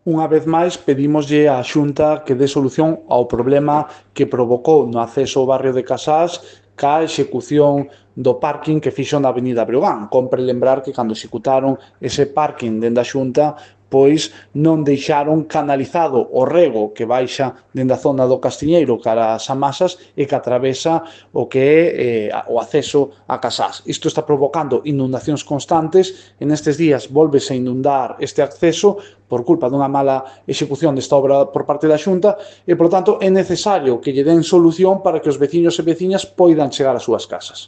Unha vez máis, pedímoslle á Xunta que dé solución ao problema que provocou no acceso ao barrio de Casás ca execución do parking que fixo na avenida Breogán. Compre lembrar que cando executaron ese parking dende a Xunta, pois non deixaron canalizado o rego que baixa dende a zona do Castiñeiro cara ás Amasas e que atravesa o que é o acceso a Casás. Isto está provocando inundacións constantes e nestes días volvese a inundar este acceso por culpa dunha mala execución desta obra por parte da Xunta e, por tanto, é necesario que lle den solución para que os veciños e veciñas poidan chegar ás súas casas.